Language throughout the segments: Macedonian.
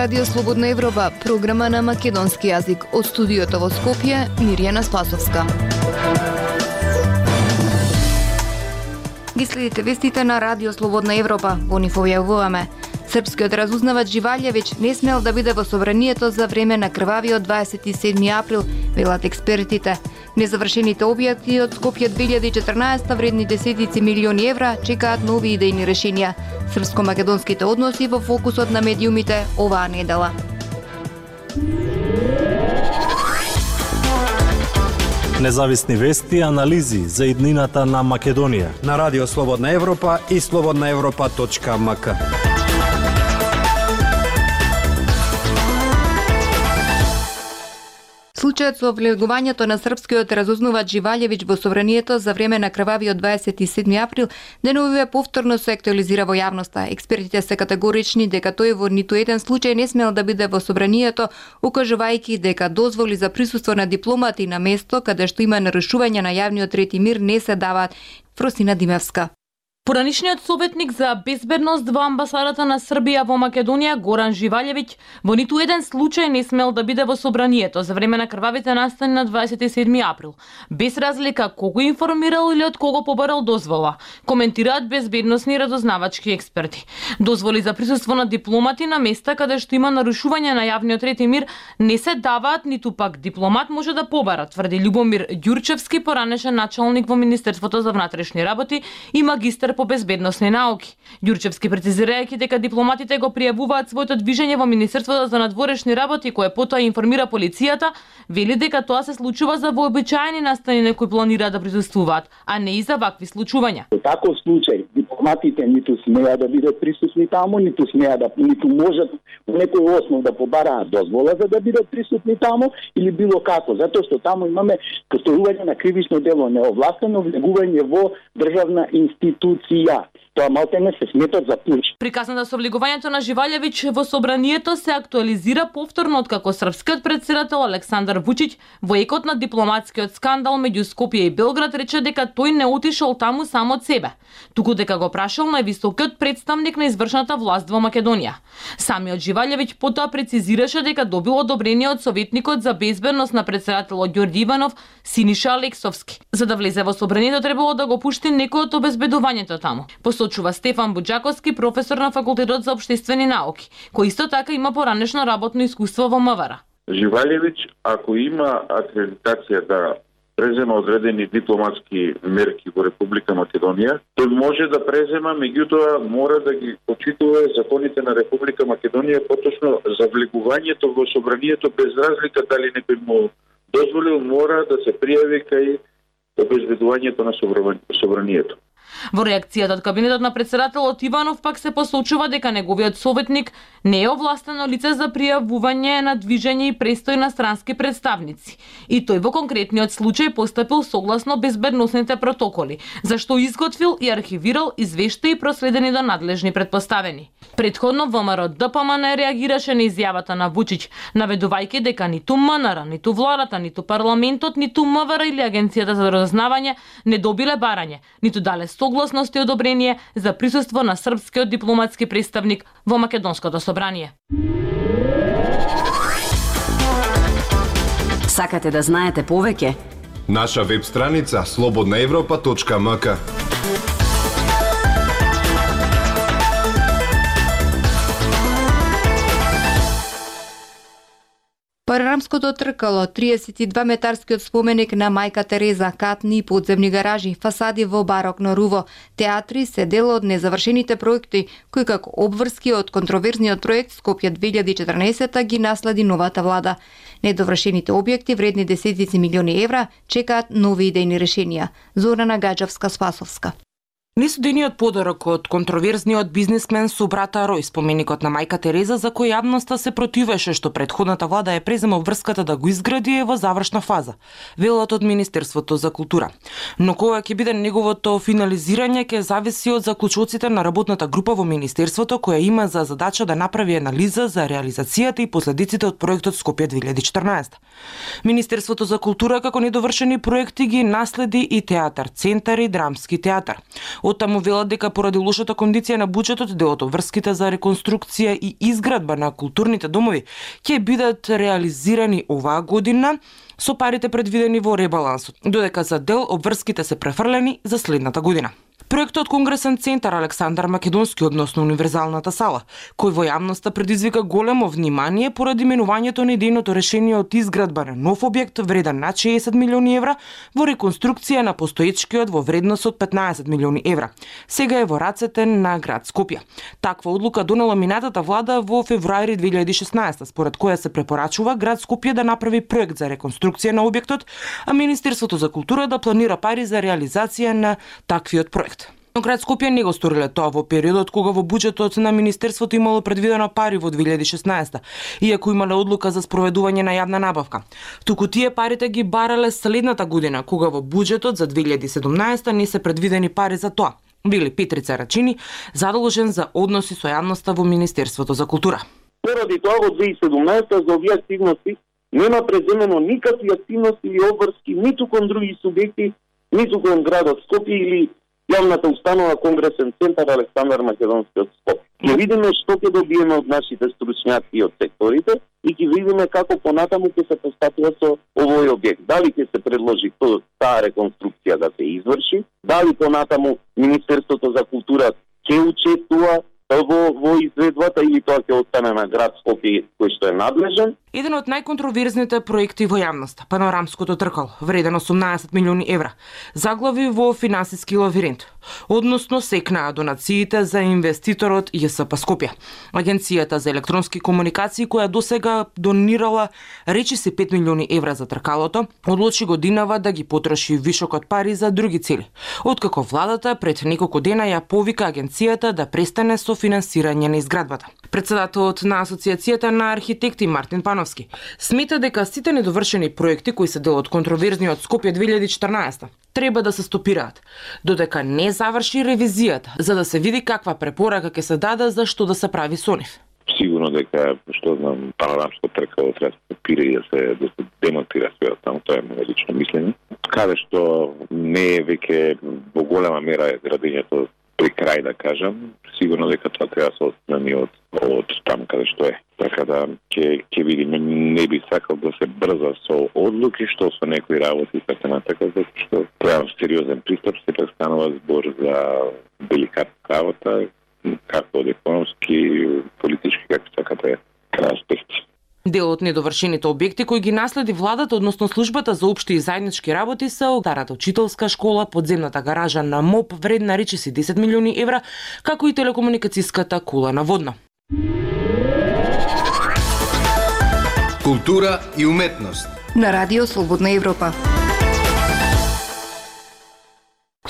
Радио Слободна Европа, програма на македонски јазик. Од студиото во Скопје, Мирјана Спасовска. Ги следите вестите на Радио Слободна Европа. Во нив објавуваме: српскиот разузнавач Живалјевиќ не смел да биде во собранието за време на крвавиот 27 април, велат експертите. Незавршените објекти од Скопје 2014 вредни десетици милиони евра чекаат нови идејни решенија. Српско-македонските односи во фокусот на медиумите оваа недела. Независни вести и анализи за иднината на Македонија на Радио Слободна Европа и slobodnaevropa.mk. Случајот со влегувањето на српскиот разузнавач Живалјевиќ во собранието за време на крвавиот 27 април деновиве повторно се актуализира во јавноста. Експертите се категорични дека тој во ниту еден случај не смел да биде во собранието, укажувајќи дека дозволи за присуство на дипломати на место каде што има нарушување на јавниот ред и мир не се даваат. Фросина Димевска. Поранишниот советник за безбедност во амбасадата на Србија во Македонија Горан Живалјевиќ во ниту еден случај не смел да биде во собранието за време на крвавите настани на 27 април, без разлика кого информирал или од кого побарал дозвола, коментираат безбедносни разузнавачки експерти. Дозволи за присуство на дипломати на места каде што има нарушување на јавниот ред и мир не се даваат, ниту пак дипломат може да побара, тврди Љубомир Ѓурчевски, поранешен началник во Министерството за внатрешни работи и магистар по безбедносни науки. Ѓурчевски прецизирајќи дека дипломатите го пријавуваат своето движење во Министерството за надворешни работи, кое потоа информира полицијата, вели дека тоа се случува за вообичаени настани на кои планираат да присуствуваат, а не и за вакви случувања. Во таков случај дипломатите ниту смеа да бидат присутни таму, ниту можат по некој основ да побараат дозвола за да бидат присутни таму или било како, затоа што таму имаме постојување на кривично дело, неовластено влегување во државна институција. Тоа малтене се сметат за пуч. Приказната со влегувањето на Живалјевиќ во собранието се актуализира повторно откако српскиот претседател Александар Вучиќ во екот на дипломатскиот скандал меѓу Скопје и Белград рече дека тој не отишол таму само од себе, туку дека го прашал највисокиот представник на извршната власт во Македонија. Самиот Живалјевиќ потоа прецизираше дека добил одобрение од советникот за безбедност на претседателот Ѓорѓи Иванов, Синиша Алексовски. За да влезе во собранието требало да го пушти некој од обезбедувањето таму. Посочува Стефан Буџаковски, професор на Факултетот за општествени науки, кој исто така има поранешно работно искуство во МВР. Живалјевиќ, ако има акредитација да презема одредени дипломатски мерки во Република Македонија, тој може да презема, меѓутоа мора да ги почитува законите на Република Македонија, поточно за влегувањето во собранието, без разлика дали некој му дозволил, мора да се пријави кај обезбедувањето на собранието. Во реакцијата од кабинетот на претседателот Иванов пак се посочува дека неговиот советник не е овластено лице за пријавување на движење и престој на странски представници. И тој во конкретниот случај постапил согласно безбедносните протоколи, зашто изготвил и архивирал извештаи проследени до надлежни претпоставени. Претходно ВМРО ДПМН реагираше на изјавата на Вучиќ, наведувајќи дека ниту МНР, ниту владата, ниту парламентот, ниту МВР или Агенцијата за разузнавање не добиле барање, ниту дале согласност и одобрение за присуство на српскиот дипломатски представник во Македонското собрание. Сакате да знаете повеќе? Наша веб страница slobodnaevropa.mk. Парарамското тркало, 32-метарскиот споменик на мајка Тереза, катни и подземни гаражи, фасади во барокно руво, театри се дел од незавршените проекти, кои како обврски од контроверзниот проект Скопје 2014 ги наследи новата влада. Недовршените објекти вредни десетици милиони евра чекаат нови идејни решенија. Зорана Гаџевска, Спасовска. Несудениот подарок од контроверзниот бизнисмен со брата Рој, споменикот на мајка Тереза, за кој јавноста се противеше што претходната влада ја презема врската да го изгради, е во завршна фаза, велат од Министерството за култура. Но кога ќе биде неговото финализирање ќе зависи од заклучоците на работната група во Министерството, која има за задача да направи анализа за реализацијата и последиците од проектот Скопје 2014. Министерството за култура како недовршени проекти ги наследи и театар Центар и Драмски театар. Оттаму велат дека поради лошата кондиција на буџетот, дел од обврските за реконструкција и изградба на културните домови ќе бидат реализирани оваа година со парите предвидени во ребалансот, додека за дел обврските се префрлени за следната година. Проектот Конгресен центар Александар Македонски, односно Универзалната сала, кој во јавноста предизвика големо внимание поради менувањето на идејното решение од изградба на нов објект вреден над 60 милиони евра во реконструкција на постоечкиот во вредност од 15 милиони евра. Сега е во рацете на град Скопје. Таква одлука донела минатата влада во февруари 2016, според која се препорачува град Скопје да направи проект за реконструкција на објектот, а Министерството за култура да планира пари за реализација на таквиот проект. Но град Скопје не го сториле тоа во периодот кога во буџетот на Министерството имало предвидено пари во 2016, иако имале одлука за спроведување на јавна набавка. Туку тие парите ги барале следната година, кога во буџетот за 2017 не се предвидени пари за тоа. Били Петрица Рачини, задолжен за односи со јавноста во Министерството за култура. Поради тоа во 2017 за овие активности нема преземено никакви активности или обврски ниту кон други субјекти, ниту кон градот Скопје или јавната установа Конгресен центар Александар Македонски од Скопје. Ќе видиме што ќе добиеме од нашите стручњаци од секторите и ќе видиме како понатаму ќе се постапува со овој објект. Дали ќе се предложи таа реконструкција да се изврши, дали понатаму Министерството за култура ќе учествува во изведбата или тоа ќе остане на град Скопје кој што е надлежен. Еден од најконтроверзните проекти во јавноста, панорамското тркало, вреден 18 милиони евра, заглави во финансиски лавиринт, односно секнаа донациите за инвеститорот ЈСП Скопје. Агенцијата за електронски комуникации, која досега донирала речиси 5 милиони евра за тркалото, одлучи годинава да ги потроши вишокот пари за други цели, откако владата пред неколку дена ја повика агенцијата да престане со финансирање на изградбата. Председателот на Асоциацијата на архитекти Мартин Пановски смета дека сите недовршени проекти кои се дел од контроверзниот Скопје 2014 треба да се стопираат, додека не заврши ревизијата, за да се види каква препорака ќе се даде за што да се прави со нив. Сигурно дека, што знам, панорамско тркало треба да се стопира и да се демонтира све таму, тоа е моје лично мислење. Каде што не е веќе во голема мера градењето при крај, да кажам, сигурно дека тоа треба да се отстрани од таму каде што е. Така да ќе видиме, не би сакал да се брза со одлуки, што со некои работи и така натака, затоа што треба сериозен пристап, сепак станува збор за деликатна работа, како од економски, политички, како сакате, аспекти. Дел од недовршените објекти кои ги наследи владата, односно службата за општи и заеднички работи, се старата учителска школа, подземната гаража на МОП вредна речиси 10 милиони евра, како и телекомуникацијската кула на водно. Култура и уметност на Радио Слободна Европа.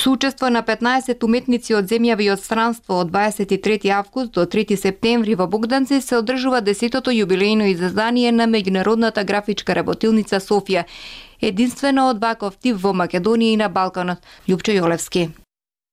Со учество на 15 уметници од земјави и од странство од 23 август до 3 септември во Богданци се одржува 10-тото јубилејно издание на меѓународната графичка работилница Софија, единствена од ваков тип во Македонија и на Балканот. Љупчо Јолевски.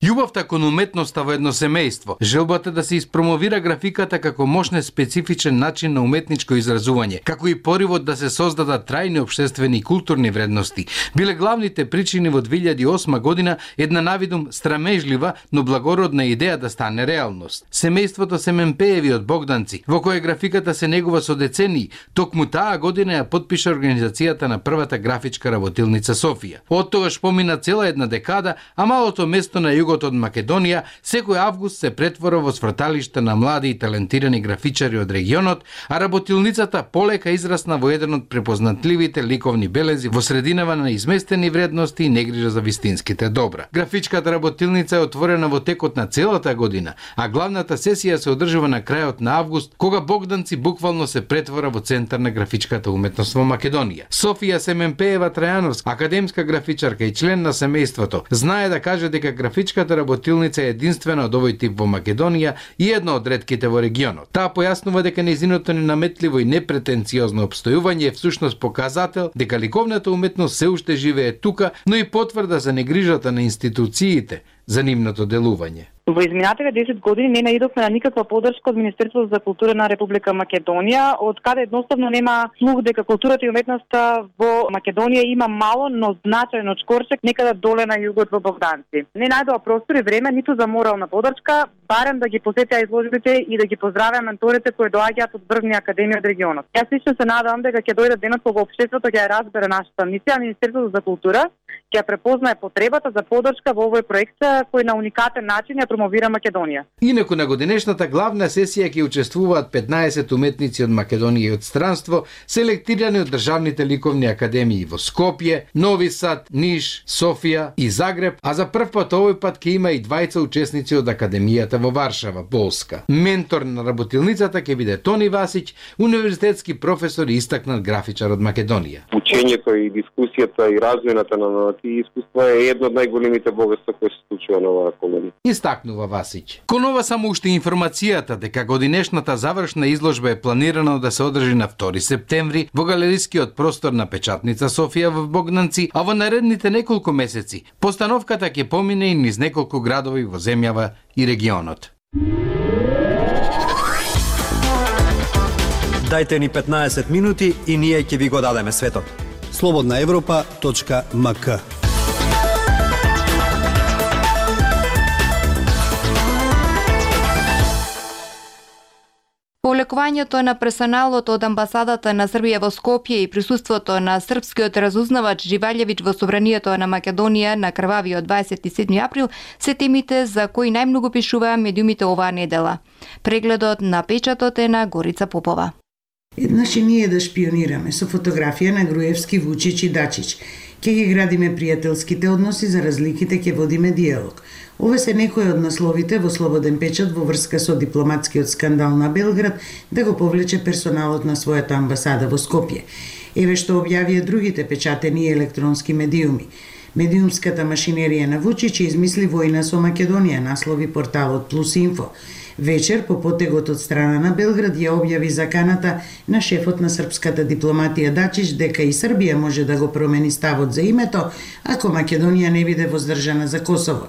Љубовта кон уметноста во едно семејство, желбата да се испромовира графиката како мощен специфичен начин на уметничко изразување, како и поривот да се создадат трајни општествени и културни вредности, биле главните причини во 2008 година една навидум страмежлива, но благородна идеја да стане реалност. Семејството Семенпееви од Богданци, во кое графиката се негува со децении, токму таа година ја потпиша организацијата на првата графичка работилница Софија. Од тогаш помина цела една декада, а малото место на југот од Македонија секој август се претвора во сврталиште на млади и талентирани графичари од регионот, а работилницата полека израсна во еден од препознатливите ликовни белези во срединава на изместени вредности и негрижа за вистинските добра. Графичката работилница е отворена во текот на целата година, а главната сесија се одржува на крајот на август, кога Богданци буквално се претвора во центар на графичката уметност во Македонија. Софија Семенпеева Трајановска, академска графичарка и член на семејството, знае да каже дека графичката работилница е единствена од овој тип во Македонија и една од ретките во регионот. Таа појаснува дека нејзиното ненаметливо и непретенциозно обстојување е всушност показател дека ликовната уметност се уште живее тука, но и потврда за негрижата на институциите за нивното делување. Во изминатите 10 години не наидовме на никаква поддршка од Министерството за култура на Република Македонија, од каде едноставно нема слух дека културата и уметноста во Македонија има мало, но значајно чкорчек некаде доле на југот во Богданци. Не најдоа простор и време ниту за морална поддршка, барем да ги посетиа изложбите и да ги поздравиа менторите кои доаѓаат од врвни академии од регионот. Јас лично се надевам дека ќе дојде денот кога општеството ќе ја разбере нашата мисија, а Министерството за култура ќе препознае потребата за поддршка во овој проект кој на уникатен начин ја промовира Македонија. Инаку на годинешната главна сесија ќе учествуваат 15 уметници од Македонија и од странство, селектирани од државните ликовни академии во Скопје, Нови Сад, Ниш, Софија и Загреб, а за прв пат овој пат ќе има и двајца учесници од академијата во Варшава, Полска. Ментор на работилницата ќе биде Тони Васиќ, универзитетски професор и истакнат графичар од Македонија. Учењето и дискусијата и развојната на тие искуства е едно од најголемите богатства кои се случува на оваа колонија. Истакнува Васиќ. Конова само уште информацијата дека годинешната завршна изложба е планирано да се одржи на 2 септември во галерискиот простор на Печатница Софија во Богданци, а во наредните неколку месеци постановката ќе помине и низ неколку градови во земјава и регионот. Дајте ни 15 минути и ние ќе ви го дадеме светот. slobodnaevropa.mk. Полекувањето на персоналот од амбасадата на Србија во Скопје и присуството на српскиот разузнавач Живалјевиќ во собранието на Македонија на крвавиот 27 април се темите за кои најмногу пишуваа медиумите оваа недела. Прегледот на печатот е на Горица Попова. Еднаш и ние да шпионираме со фотографија на Груевски, Вучич и Дачич. Ке ги градиме пријателските односи, за разликите ке водиме диалог. Ове се некои од насловите во Слободен печат во врска со дипломатскиот скандал на Белград да го повлече персоналот на својата амбасада во Скопје. Еве што објавија другите печатени и електронски медиуми. Медиумската машинерија на Вучич измисли војна со Македонија, наслови порталот Плюс Инфо. Вечер, по потегот од страна на Белград, ја објави заканата на шефот на српската дипломатија Дачич дека и Србија може да го промени ставот за името, ако Македонија не биде воздржана за Косово.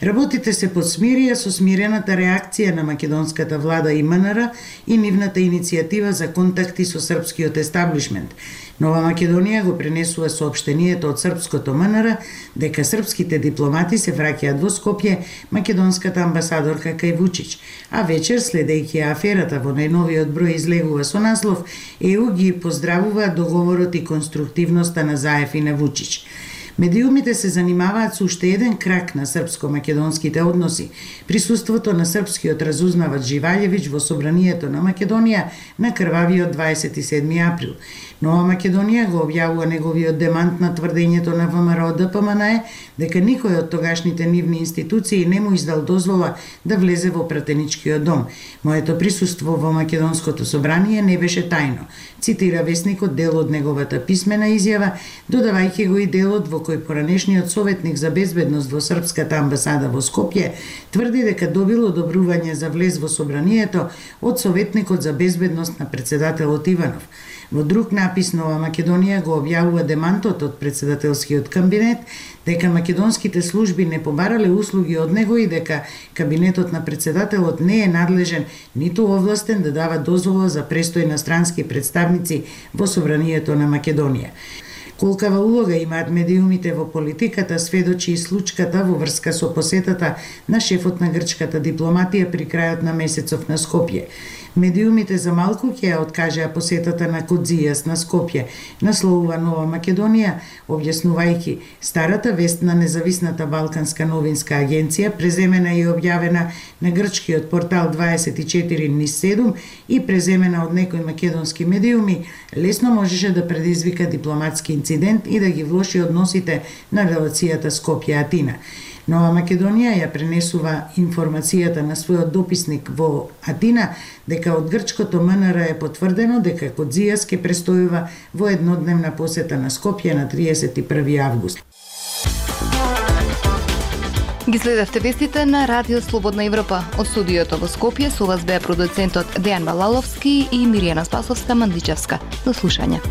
Работите се подсмирија со смирената реакција на македонската влада и МНР и нивната иницијатива за контакти со српскиот естаблишмент. Нова Македонија го пренесува соопштението од српското МНР дека српските дипломати се враќаат во Скопје, македонската амбасадорка кај Вучич, а вечер, следејќи аферата во најновиот број излегува со наслов ЕУ ги поздравува договорот и конструктивноста на Заев и на Вучич. Медиумите се занимаваат со уште еден крак на српско-македонските односи, присуството на српскиот разузнавач Живалјевиќ во собранието на Македонија на крвавиот 27 април. Нова Македонија го објавува неговиот демант на тврдењето на ВМРО ДПМНЕ дека никој од тогашните нивни институции не му издал дозвола да влезе во пратеничкиот дом. Моето присуство во Македонското собрание не беше тајно, цитира весникот дел од неговата писмена изјава, додавајќи го и делот во кој поранешниот советник за безбедност во српската амбасада во Скопје тврди дека добил одобрување за влез во собранието од советникот за безбедност на председателот Иванов. Во друг напис Нова Македонија го објавува демантот од председателскиот кабинет дека македонските служби не побарале услуги од него и дека кабинетот на председателот не е надлежен ниту овластен да дава дозвола за престој на странски представници во собранието на Македонија. Колкава улога имаат медиумите во политиката сведочи и случката во врска со посетата на шефот на грчката дипломатија при крајот на месецов на Скопје. Медиумите за малку ќе ја откажеа посетата на Кодзијас на Скопје, насловува Нова Македонија, објаснувајќи старата вест на независната Балканска новинска агенција, преземена и објавена на грчкиот портал 24/7 и преземена од некои македонски медиуми, лесно можеше да предизвика дипломатски инцидент и да ги влоши односите на релацијата Скопје-Атина. Нова Македонија ја пренесува информацијата на својот дописник во Атина дека од грчкото МНР е потврдено дека Кодзијас ќе престојува во еднодневна посета на Скопје на 31 август. Ги следевте вестите на Радио Слободна Европа. Од студиото во Скопје со вас беа продуцентот Дејан Балаловски и Миријана Спасовска-Мандичевска. До слушање.